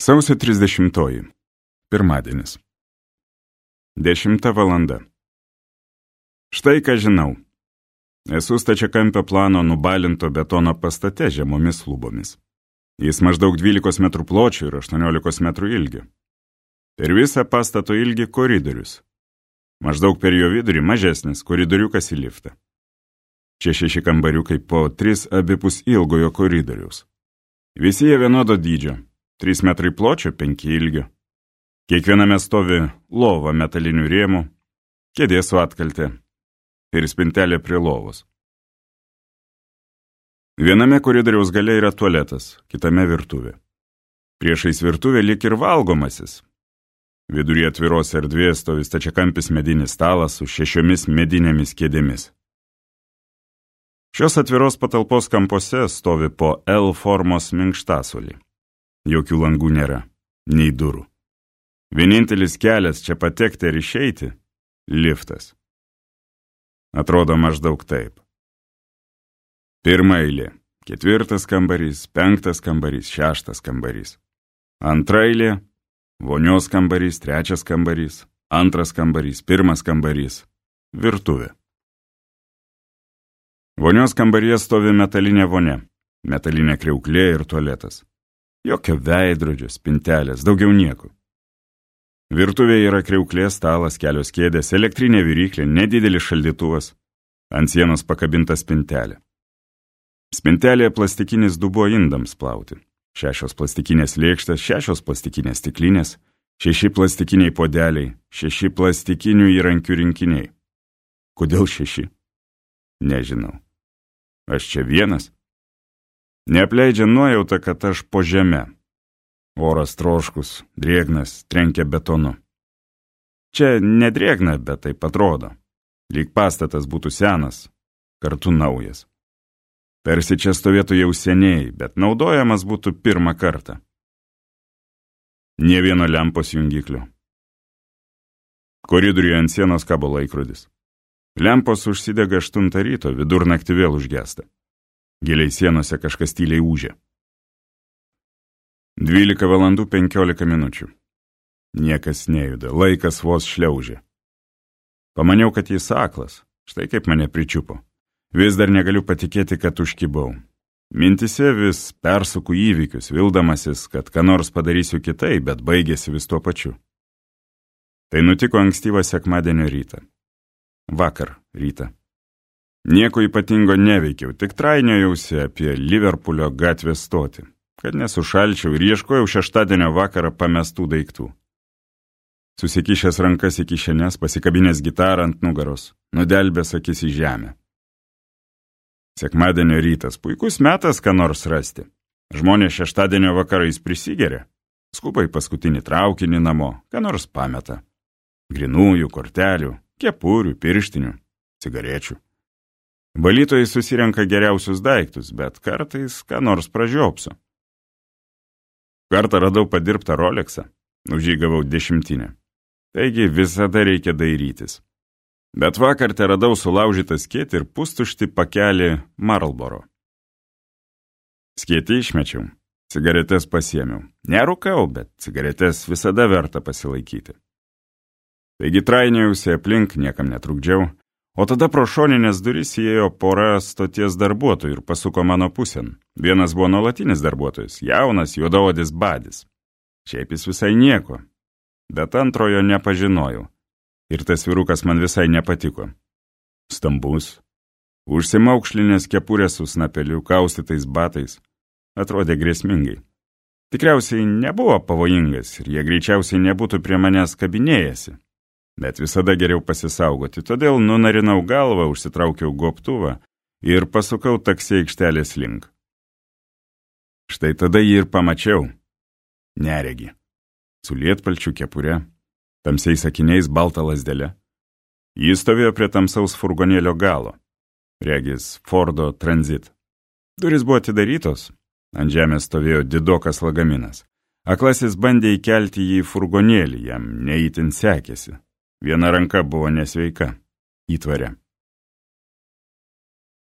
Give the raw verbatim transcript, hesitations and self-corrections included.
Sausio trisdešimtoji. Pirmadienis. Dešimta valanda. Štai ką žinau. Esu stačiakampio plano nubalinto betono pastate žemomis lubomis. Jis maždaug dvylikos metrų pločio ir aštuoniolikos metrų ilgio. Per visą pastato ilgį koridorius. Maždaug per jo vidurį mažesnis koridoriukas į liftą. Čia šeši kambariukai po tris abipus ilgojo koridoriaus. Visi jie vienodo dydžio. trys metrai pločio, penki ilgio. Kiekviename stovi lova metalinių rėmų, kėdė su atkalte ir spintelė prie lovos. Viename koridoriaus gale yra tualetas, kitame virtuvė. Priešais virtuvė lyg ir valgomasis. Viduryje atviros erdvės stovi stačiakampis medinis stalas su šešiomis medinėmis kėdėmis. Šios atviros patalpos kampuose stovi po L formos minkštasuolį. Jokių langų nėra, nei durų. Vienintelis kelias čia patekti ir išeiti – liftas. Atrodo maždaug taip. Pirma eilė – ketvirtas kambarys, penktas kambarys, šeštas kambarys. Antra eilė – vonios kambarys, trečias kambarys, antras kambarys, pirmas kambarys, virtuvė. Vonios kambaryje stovi metalinė vonia, metalinė kriauklė ir tualetas. Jokio veidrodžio, spintelės, daugiau nieko. Virtuvėje yra kriauklė, stalas, kelios kėdės, elektrinė viryklė, nedidelis šaldytuvas, ant sienos pakabinta spintelė. Spintelėje plastikinis dubuo indams plauti, šešios plastikinės lėkštės, šešios plastikinės stiklinės, šeši plastikiniai podeliai, šeši plastikinių įrankių rinkiniai. Kodėl šeši? Nežinau. Aš čia vienas? Neapleidžia nuojauta, kad aš po žeme. Oras troškus, drėgnas, trenkia betonu. Čia nedrėgna, bet taip atrodo. Lyg pastatas būtų senas, kartu naujas. Tarsi čia stovėtų jau seniai, bet naudojamas būtų pirmą kartą. Nė vieno lempos jungiklio. Koridoriuje ant sienos kabo laikrodis. Lempos užsidega aštuntą ryto, vidurnaktį vėl užgesta. Giliai sienose kažkas tyliai ūžia. Dvylika valandų penkiolika minučių. Niekas nejuda, laikas vos šliaužia. Pamaniau, kad jis aklas, štai kaip mane pričiupo. Vis dar negaliu patikėti, kad užkibau. Mintise vis persuku įvykius, vildamasis, kad ką nors padarysiu kitai, bet baigėsi vis tuo pačiu. Tai nutiko ankstyvą sekmadienio rytą. Vakar rytą. Nieko ypatingo neveikiau, tik trainiojausi apie Liverpulio gatvės stotį, kad nesušalčiau ir ieškojau šeštadienio vakarą pamestų daiktų. Susikišęs rankas į kišenes, pasikabinęs gitarą ant nugaros, nudelbęs akis į žemę. Sekmadienio rytas, puikus metas ką nors rasti. Žmonės šeštadienio vakarais prisigeria, skuba į paskutinį traukinį namo, ką nors pameta. Grinųjų, kortelių, kepurių, pirštinių, cigarečių. Valytojai susirenka geriausius daiktus, bet kartais ką nors pražiopsiu. Kartą radau padirbtą Rolexą, už jį gavau dešimtinę. Taigi visada reikia dairytis. Bet vakar te radau sulaužytą skėtį ir pustuštį pakelį Marlboro. Skėtį išmečiau, cigaretes pasiėmiau. Nerūkau, bet cigaretes visada verta pasilaikyti. Taigi trainiausi aplink, niekam netrukdžiau. O tada pro šoninės duris įėjo pora stoties darbuotojų ir pasuko mano pusėn. Vienas buvo nuolatinis darbuotojas, jaunas, juodaodis badis. Šiaip jis visai nieko, bet antrojo nepažinojau. Ir tas vyrukas man visai nepatiko. Stambus, užsimaukšlinės kepurės su snapeliu, kaustytais batais. Atrodė grėsmingai. Tikriausiai nebuvo pavojingas ir jie greičiausiai nebūtų prie manęs kabinėjęsi. Bet visada geriau pasisaugoti, todėl nunarinau galvą, užsitraukiau gobtuvą ir pasukau taksi aikštelės link. Štai tada jį ir pamačiau. Neregi. Su lietpalčiu kepure, tamsiais akiniais balta lazdele. Jis stovėjo prie tamsaus furgonėlio galo. Regis Fordo Transit. Durys buvo atidarytos. Ant žemės stovėjo didokas lagaminas. Aklasis bandė įkelti jį į furgonėlį, jam neįtin sekėsi. Viena ranka buvo nesveika, įtvaria.